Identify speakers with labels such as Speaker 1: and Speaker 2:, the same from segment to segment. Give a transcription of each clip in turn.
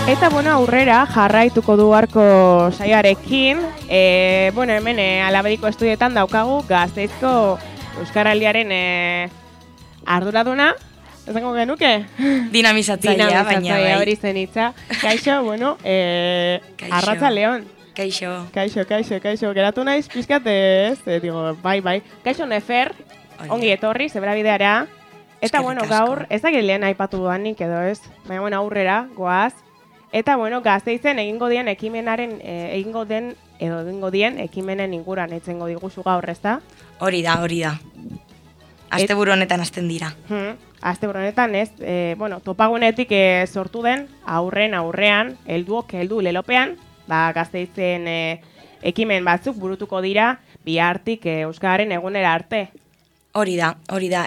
Speaker 1: Eta bueno, aurrera jarraituko du arko saioarekin. Bueno, hemen Alabediko estudioetan daukagu Gasteizko Euskaraldiaren arduraduna. Esango genuke?
Speaker 2: Dinamizatzailea, baina bai.
Speaker 1: Hori zen hitza. Kaixo, bueno, Arratsaldeon.
Speaker 2: Kaixo.
Speaker 1: Geratu naiz pizkat ez, digo, bai. Kaixo Nefer, ongi etorri, Zebrabideara. Eta bueno, gaur, ez dakit lehen aipatu duanik edo ez, baina bueno, aurrera, goaz. Eta bueno, Gasteizen egingo dien ekimenen inguran etzengo diguzu gaur, ezta?
Speaker 2: Hori da. Asteburu honetan hasten dira.
Speaker 1: Asteburu honetan ez, bueno, topagunetik sortu den aurrean, heldu lelopean, Gasteizen ekimen batzuk burutuko dira bihartik Euskararen egunera arte.
Speaker 2: Hori da.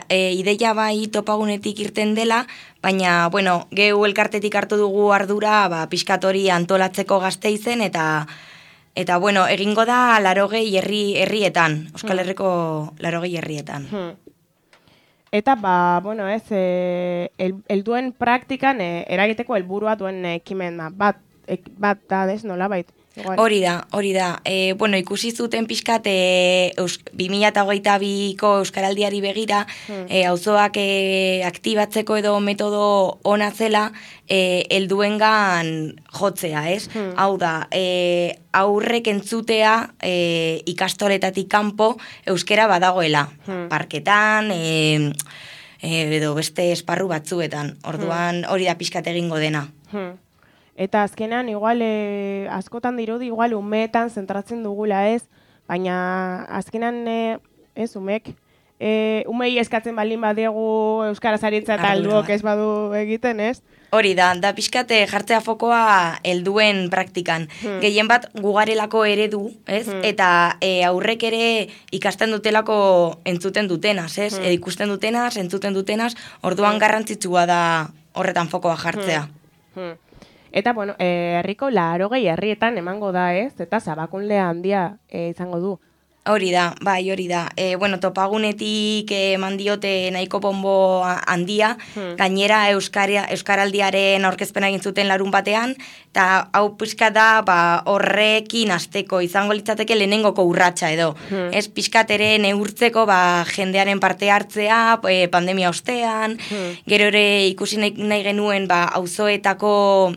Speaker 2: Ideia bai topagunetik irten dela, baina, bueno, gehu elkartetik hartu dugu ardura, pixkat hori antolatzeko Gasteizen, eta bueno, egingo da 80 herrietan, Euskal Herriko 80 herrietan.
Speaker 1: Eta, bueno, ez, helduen praktikan eragiteko helburua duen ekimen bat da, ez, nolabait?
Speaker 2: Hori da. Bueno, ikusi zuten pixkat 2022ko Euskaraldiari begira, auzoak aktibatzeko edo metodo ona zela helduengan jotzea, ez? Hau da, aurrek entzutea ikastoletatik kanpo euskera badagoela. Parketan, edo beste esparru batzuetan. Orduan hori da pixkat egingo dena.
Speaker 1: Eta azkenan, igual, askotan dirudi, igual, umeetan zentratzen dugula ez, baina azkenan, ez, umei eskatzen baldin badiegu Euskaraz aritza eta helduok ez badu egiten, ez?
Speaker 2: Hori da pixkate jartzea fokoa helduen praktikan. Gehien bat gugarelako eredu, ez? Eta aurrek ere ikasten dutelako entzuten dutenaz, ez? Ikusten dutenaz, entzuten dutenaz, orduan garrantzitsua da horretan fokoa jartzea.
Speaker 1: Eta, bueno, herriko 80 herrietan emango da, ez? Eta zabakunle handia izango du.
Speaker 2: Hori da. Bueno, topagunetik eman diote nahiko bonbo handia, gainera Euskaraldiaren aurkezpena egin zuten larun batean, eta hau pixka da horrekin hasteko izango litzateke lehenengoko urratsa edo. Ez pixkat ere neurtzeko jendearen parte hartzea, pandemia ostean, gero ere ikusi nahi genuen auzoetako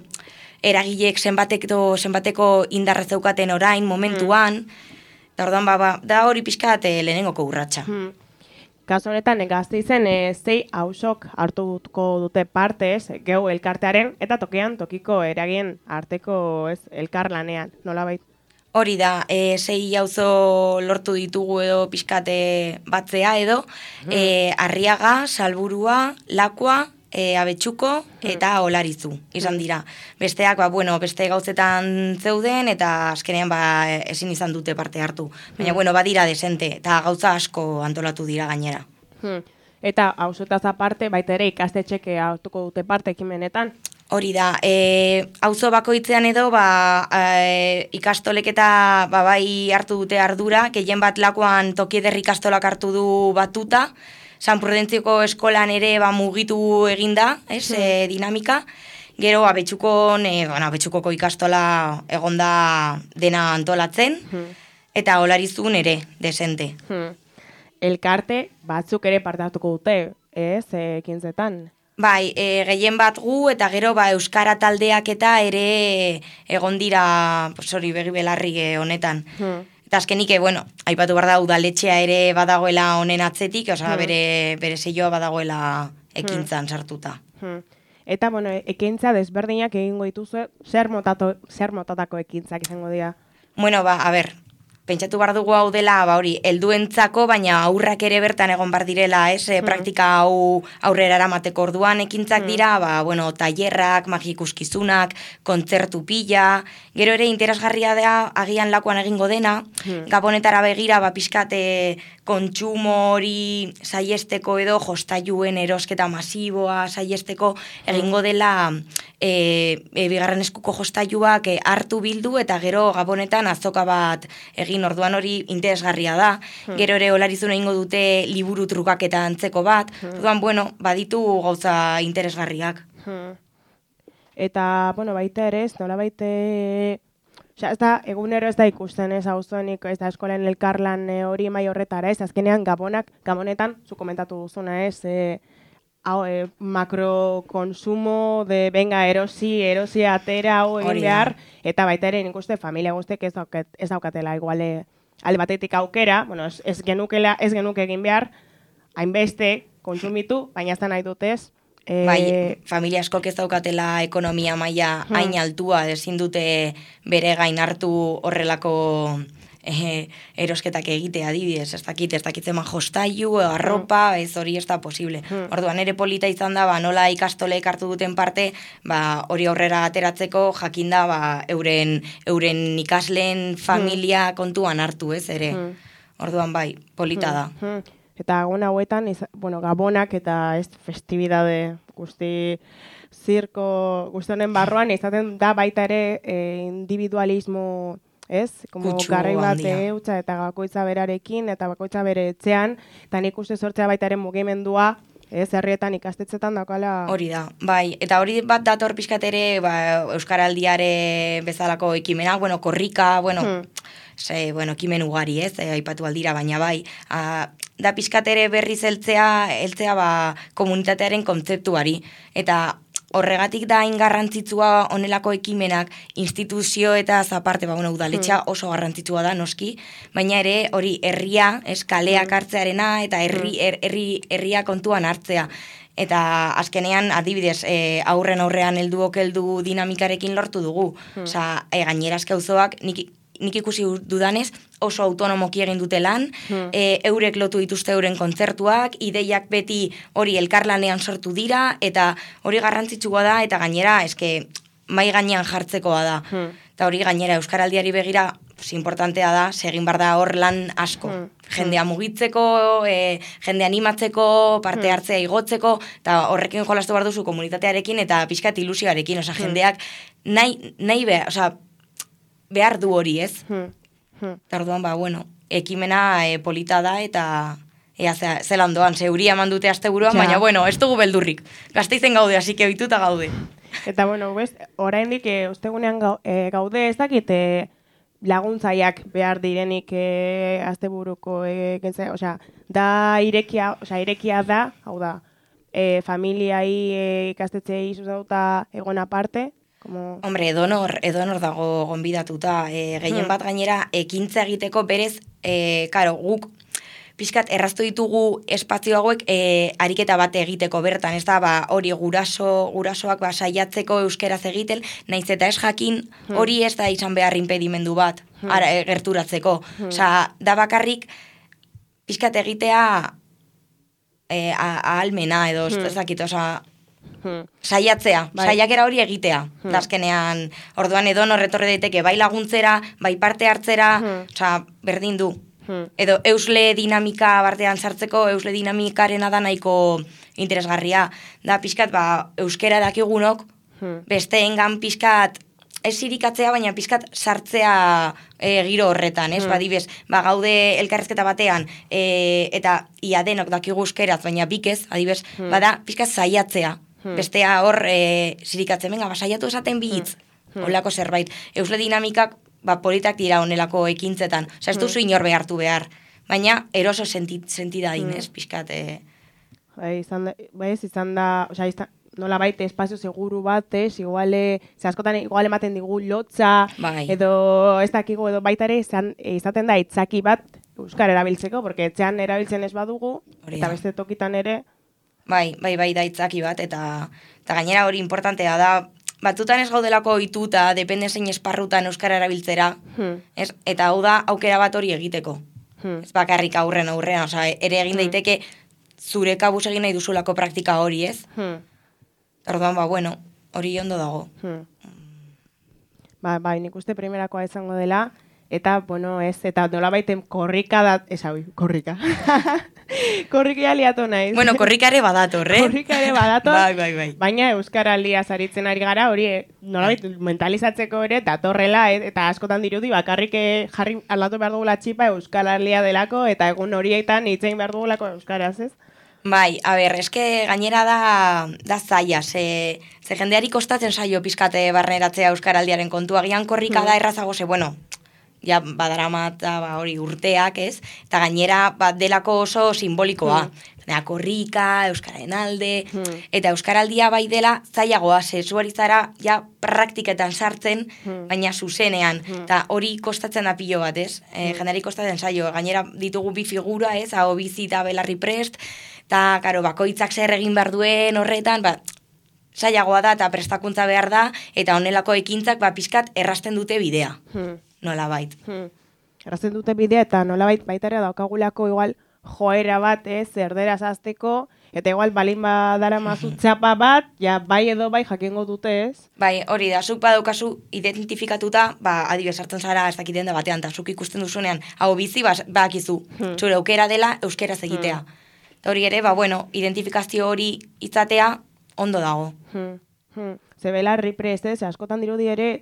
Speaker 2: eragileek zenbateko indarra zeukaten orain, momentuan, eta orduan da hori pixkat lehenengoko urratsa.
Speaker 1: Kasu honetan, Gasteizen 6 auzok hartuko dute parte, gehu elkartearen, eta tokiko eragien arteko elkarlanean, nolabait?
Speaker 2: Hori da, 6 auzo lortu ditugu edo pixkate batzea edo, Arriaga, Salburua, Lakua, Abetxuko eta Olarizu izan dira. Besteak, beste gauzetan zeuden eta azkenean ezin izan dute parte hartu. Baina, badira desente eta gauza asko antolatu dira gainera.
Speaker 1: Eta auzotaz aparte, baita ere ikastetxeke hartuko dute parte ekimenetan?
Speaker 2: Hori da, auzo bakoitzean edo ikastolek eta bai hartu dute ardura, gehien bat Lakuan Toki Ederri ikastolak hartu du batuta, San Prudentzioko eskolan ere mugitu eginda, dinamika. Gero Abetxukoko ikastola egonda dena antolatzen, eta Olarizun ere, desente.
Speaker 1: elkarte batzuk ere parte hartuko dute, ez, ekintzetan.
Speaker 2: Bai, gehien bat gu eta gero euskara taldeak eta ere egon dira, hori begi belarri honetan. Eta azkenik, aipatu behar da udaletxea ere badagoela honen atzetik, bere seioa badagoela ekintzan sartuta.
Speaker 1: Eta, ekintza desberdinak egingo dituzu, zer motatako ekintzak izango dira?
Speaker 2: Pentsatu behar dugu hau dela, helduentzako, baina aurrak ere bertan egon bar direla, praktika hau aurrera eramateko orduan ekintzak dira, tailerrak, magikuskizunak, kontzertu pila, gero ere interesgarria da agian lakuan egingo dena, Gabonetara begira, pixkate kontsumo hori saiesteko edo jostailuen erosketa masiboa saiesteko egingo dela bigarren eskuko jostailuak hartu bildu eta gero Gabonetan azoka bat egin orduan hori interesgarria da. Gero ere olarizun egingo dute liburu trukaketa antzeko bat. Orduan, baditu gauza interesgarriak.
Speaker 1: Eta, baita ere ez, nola baite... egunero ez da ikusten ez auzoenik, ez da eskolen elkarlan hori mai horretara ez, azkenean Gabonetan, zu komentatu duzuna ez, makrokonsumo de venga erosi atera hau egin behar, eta baita ere nik uste familia guztek ez daukatela iguale alde batetik aukera, ez genuke egin behar, hainbeste kontsumitu, baina ez da nahi dutez.
Speaker 2: Familia askok ez daukatela ekonomia maila hain altua, ezin dute bere gain hartu horrelako erosketak egitea adibidez, ez dakitzen jostailu, arropa, ez hori ez da posible. Orduan ere polita izan da, nola ikastolek hartu duten parte, hori aurrera ateratzeko jakinda euren ikasleen familia kontuan hartu ez ere. Orduan polita da.
Speaker 1: Eta egun hauetan, Gabonak eta festibidade guzti zirko guztionen barruan, izaten da baita ere individualismo, ez? Garrai bat eutxa eta bakoitza berarekin eta bakoitza bere etxean, eta nik uste sortzea baita ere mugimendua, herrietan ikastetxetan daukala...
Speaker 2: Hori da, eta hori bat dator pixkat ere Euskaraldiare bezalako ekimenak, korrika, ekimen ugari ez, aipatu aldira, baina da pixkat ere berriz heltzea komunitatearen kontzeptuari, eta horregatik da garrantzitsua honelako ekimenak instituzio eta aparte, udaletxea oso garrantzitsua da noski, baina ere hori herria, kaleak hartzearena eta herria kontuan hartzea. Eta azkenean adibidez aurrean heldu dinamikarekin lortu dugu. Gainera auzoak nik ikusi dudanez oso autonomoki egin dute lan, eurek lotu dituzte euren kontzertuak, ideiak beti hori elkarlanean sortu dira, eta hori garrantzitsua da, eta gainera, mai gainean jartzekoa da. Eta hori gainera Euskaraldiari begira, importantea da, segin bar da hor lan asko. Jendea mugitzeko, jende animatzeko, parte hartzea igotzeko, eta horrekin jolastu behar duzu komunitatearekin, eta pixkat ilusioarekin, jendeak nahi behar du hori, ez? Eta orduan, ekimena polita da, eta zelan doan, zeuria mandute asteburuan, baina, ez dugu beldurrik. Gazteizen gaude, hasi que ohituta gaude.
Speaker 1: Eta, oraindik ostegunean gaude, ez dakit laguntzaiak behar direnik asteburuko da irekia da, hau da, familiai ikastetxeei zuzauta egon aparte.
Speaker 2: Hombre, edonor dago gonbidatuta. Gehien bat gainera ekintza egiteko berez, guk pixkat erraztu ditugu espazio hauek ariketa bat egiteko bertan, ez da, hori gurasoak saiatzeko euskeraz egiten, naiz eta ez jakin hori ez da izan behar impedimendu bat gerturatzeko. Da bakarrik pixkat egitea ahalmena edo, ez dakit, saiatzea, saiakera hori egitea. Azkenean, orduan edonor etorri daiteke bai laguntzera, bai parte hartzera, berdin du. Edo eusle dinamika bartean sartzeko, eusle dinamikarena da nahiko interesgarria. Da pixkat, euskera dakigunok, besteengan pixkat, ez irikatzea, baina pixkat sartzea giro horretan, ez? Badibez, gaude elkarrezketa batean, eta ia denok dakigu euskeraz, baina bikez, adibez, bada pixkat saiatzea. Bestea hor zirikatzen, saiatu esaten bihitz, holako zerbait. Eusle dinamikak politak dira honelako ekintzetan. Ez duzu inor behartu behar. baina eroso sentidadin, ez, pixkat.
Speaker 1: Izan da, nola baite espazio seguru bat, ze askotan igual ematen digu lotza, edo ez dakigu, edo baita ere izaten da itzaki bat euskara erabiltzeko, porque etxean erabiltzen ez badugu, eta beste tokitan ere.
Speaker 2: Bai, da itzaki bat, eta gainera hori importantea da, batzutan ez gaudelako ohituta, depende zein esparrutan euskara erabiltzera, eta hau da aukera bat hori egiteko. Ez bakarrik aurrean, ere egin daiteke zure kabuz egin nahi duzulako praktika hori, ez? Orduan, hori ondo dago.
Speaker 1: Bai, nik uste primerakoa izango dela, eta, eta nola baiten korrika da, korrika. Korrika liatu naiz.
Speaker 2: Korrika ere badator,
Speaker 1: Korrika ere badator,
Speaker 2: bai.
Speaker 1: Baina Euskaraldia zaritzen ari gara, hori nola mentalizatzeko ere, datorrela, eta askotan dirudi, bakarrik jarri aldatu behar dugula txipa Euskaraldia delako, eta egun horietan hitzein behar dugulako Euskaraz, ez?
Speaker 2: Bai, eske gainera da zaila, ze jendeari kostatzen zaio pizkate barneratzea euskaraldiaren kontua, gian korrika da errazago, ja badaramat hori urteak, ez? Eta gainera delako oso simbolikoa. Korrika, euskararen alde, eta euskaraldia bai dela zailagoa, zuari zara ja praktiketan sartzen, baina zuzenean, eta hori kostatzen da pilo bat, ez? Jendeari kostatzen zaio, gainera ditugu bi figura, ez? Hau bizi eta belarri prest, eta, bakoitzak zer egin behar duen horretan, zailagoa da eta prestakuntza behar da, eta honelako ekintzak pizkat errasten dute bidea, nola bait.
Speaker 1: Errasten dute bidea, eta nola baitarea daukagulako igual joera bat, erderaz azteko, eta igual balin badara mazu txapa bat, bai edo bai jakingo dute, ez?
Speaker 2: Bai, hori da, zuk badaukazu identifikatuta, adibidez hartzen zara ez dakiten da batean, eta zuk ikusten duzunean, hau bizi, bakizu, zure aukera dela euskeraz egitea. Hori ere, identifikazio hori izatea ondo dago.
Speaker 1: Zebelarri prest, askotan dirudi ere,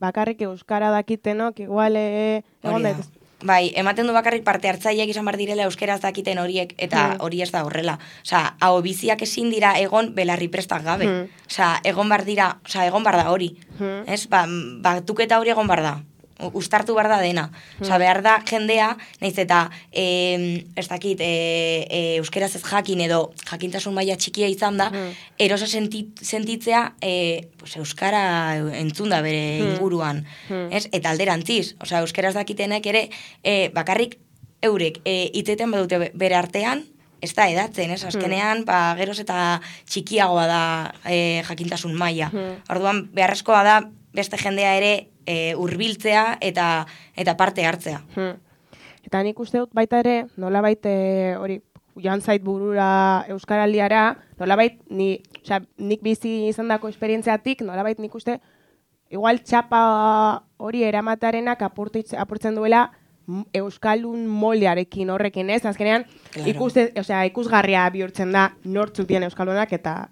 Speaker 1: bakarrik euskara dakitenok, igual, egon dut.
Speaker 2: Bai, ematen du bakarrik parte hartzaileak izan bar direla euskeraz dakiten horiek, eta hori ez da horrela. Hau biziak ezin dira egon belarri prestak gabe. Egon bar da hori. Batuketa hori egon bar da. Uztartu behar da dena. Behar da jendea, nahiz eta ez dakit euskeraz ez jakin edo jakintasun maila txikia izan da, eroso sentitzea euskara entzun da bere inguruan. Eta alderantziz, euskeraz dakitenek ere bakarrik eurek hitzeten badute bere artean, ez da edatzen, azkenean geroz eta txikiagoa da jakintasun maila. Orduan beharrezkoa da beste jendea ere hurbiltzea eta parte hartzea.
Speaker 1: Eta nik uste dut baita ere, nolabait hori joan zait burura euskaraldiara, nolabait nik bizi izandako esperientziatik, nolabait nik uste igual txapa hori eramatearenak apurtzen duela euskaldun moldearekin horrekin, ez? Azkenean, ikusgarria bihurtzen da nortzuk dien euskaldunak eta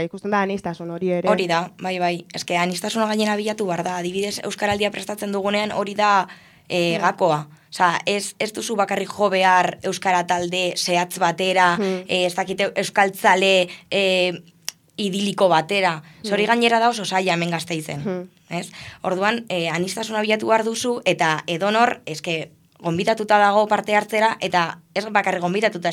Speaker 1: ikusten da anistasun hori ere.
Speaker 2: Hori da, bai. Eske anistasuna gainera bilatu behar da. Adibidez, euskaraldia prestatzen dugunean hori da gakoa. Ez duzu bakarrik jo behar euskara talde zehatz batera, ez dakite euskaltzale idiliko batera. Hori gainera da oso zaila hemen Gasteizen. Orduan, anistasuna bilatu behar duzu, eta edonor, gonbitatuta dago parte hartzera, eta ez bakarrik gonbitatuta,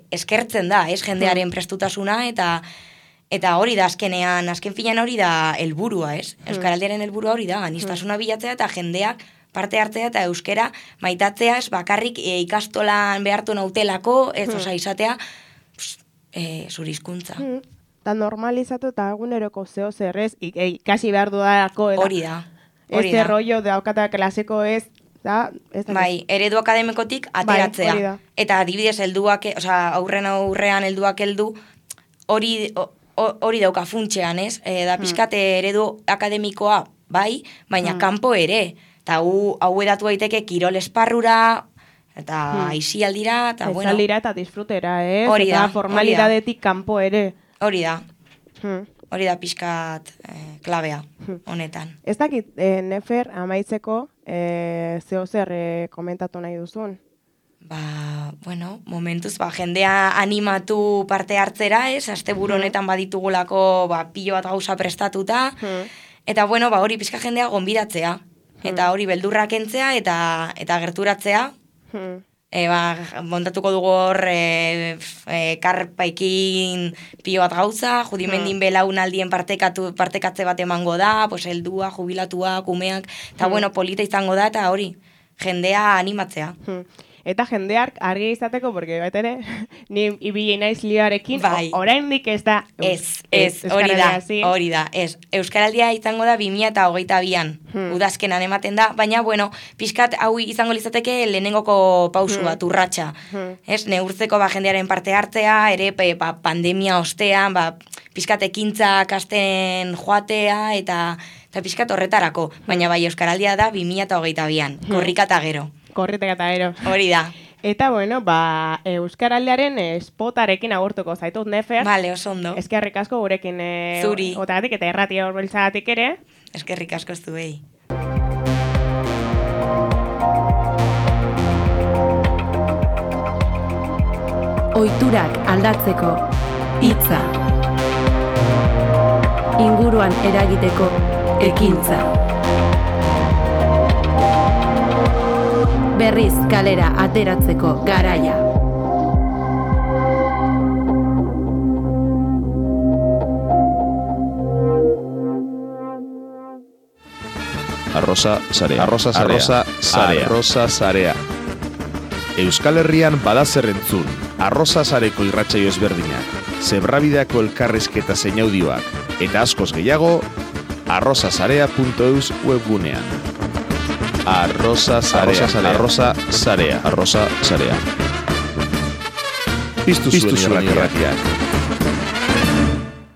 Speaker 2: eskertzen da, jendearen prestutasuna, eta hori da azken finean hori da helburua, Euskaraldiaren helburua hori da, anistasuna bilatzea eta jendeak parte hartzea eta euskera maitatzea, ez bakarrik ikastolan behartu nautelako, ez izatea zure hizkuntza.
Speaker 1: Eta normalizatu eta eguneroko zeo zerrez, ikasi behar dudalako.
Speaker 2: Hori da.
Speaker 1: Este rollo daukata klasiko ez,
Speaker 2: bai, eredu akademikotik ateratzea. Eta adibidez helduak, aurrean helduak heldu, hori dauka funtsean, ez? Da pizkate eredu akademikoa, bai, baina kanpo ere. Eta hau edatu daiteke kirol esparrura, eta aisialdira, eta bueno.
Speaker 1: Aisialdira eta disfrutera, ez? Eta formalidadetik kanpo ere.
Speaker 2: Hori da pixkat klabea honetan.
Speaker 1: Ez dakit, Nefer, amaitzeko, zeo zer komentatu nahi duzun?
Speaker 2: Momentuz, jendea animatu parte hartzera, ez? Asteburu honetan baditugulako pilo bat gauza prestatuta, eta hori pixka jendea gonbidatzea, eta hori beldurrak entzea eta gerturatzea, montatuko dugu hor karpaikin pio bat gauza, judimendin belaunaldien partekatze bat emango da, pues heldua, jubilatua, kumeak, eta bueno, polita izango da, eta hori, jendea animatzea.
Speaker 1: Eta jendeak argi izateko, porque bat ere, ni ibili naiz lioarekin, oraindik ez da...
Speaker 2: hori da. Euskaraldia izango da 2022an, udazkenan ematen da, baina, bueno, pixkat hau izango lizateke lehenengoko pausu bat, urratsa. Neurtzeko jendearen parte hartzea, ere pandemia ostean, pixkat ekintza kasten joatea, eta pixkat horretarako, baina bai Euskaraldia da 2022an, korrika eta gero.
Speaker 1: Korritek eta gero.
Speaker 2: Hori da.
Speaker 1: Eta, bueno, Euskaraldiaren spotarekin agurtuko zaitut, Nefer.
Speaker 2: Vale, oso ondo.
Speaker 1: Eskerrik asko gurekin
Speaker 2: zuri.
Speaker 1: Otagatik eta erratia horbeltzagatik ere.
Speaker 2: Eskerrik asko zuei.
Speaker 3: Ohiturak aldatzeko hitza. Inguruan eragiteko ekintza. Berriz kalera ateratzeko garaia.
Speaker 4: Arrosa Sarea. Euskal Herrian badazer entzun, Arrosa Sareko irratsaio ezberdinak, zebrabideako elkarrizketa zein audioak, eta askoz gehiago, arrosasarea.eus webgunean. Arrosa Sarea. Piztu zuen irratiak.